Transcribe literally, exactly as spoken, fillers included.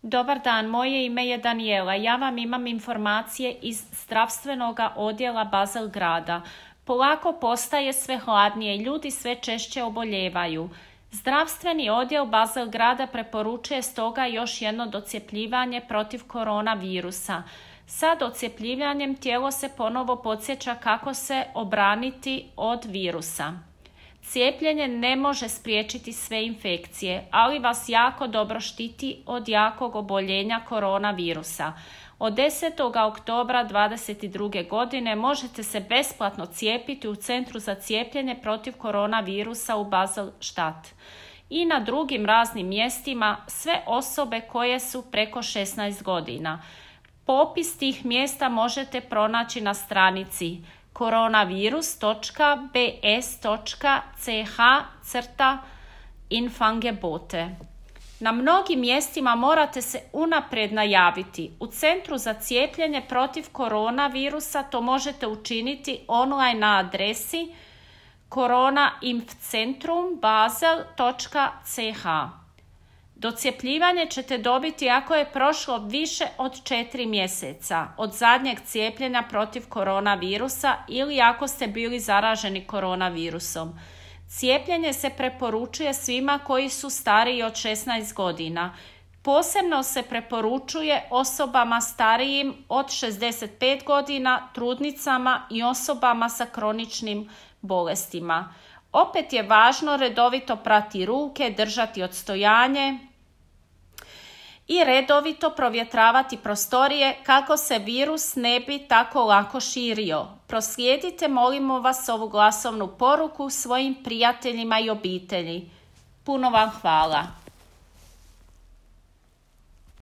Dobar dan, moje ime je Daniela. Ja vam imam informacije iz zdravstvenog odjela Basel grada. Polako postaje sve hladnije i ljudi sve češće oboljevaju. Zdravstveni odjel Basel grada preporučuje stoga još jedno docjepljivanje protiv koronavirusa. Sa docjepljivanjem tijelo se ponovo podsjeća kako se obraniti od virusa. Cijepljenje ne može spriječiti sve infekcije, ali vas jako dobro štiti od jakog oboljenja koronavirusa. Od desetog oktobra dvadeset druge. godine možete se besplatno cijepiti u Centru za cijepljenje protiv koronavirusa u Basel-Stadt i na drugim raznim mjestima sve osobe koje su preko šesnaest godina. Popis tih mjesta možete pronaći na stranici koronavirus točka b s točka c h crta infangebote. Na mnogim mjestima morate se unaprijed najaviti. U Centru za cijepljenje protiv koronavirusa to možete učiniti online na adresi koronainfcentrum basel točka c h. Docjepljivanje ćete dobiti ako je prošlo više od četiri mjeseca od zadnjeg cijepljenja protiv koronavirusa ili ako ste bili zaraženi koronavirusom. Cijepljenje se preporučuje svima koji su stariji od šesnaest godina. Posebno se preporučuje osobama starijim od šezdeset pet godina, trudnicama i osobama sa kroničnim bolestima. Opet je važno redovito prati ruke, držati odstojanje i redovito provjetravati prostorije kako se virus ne bi tako lako širio. Proslijedite, molimo vas, ovu glasovnu poruku svojim prijateljima i obitelji. Puno vam hvala.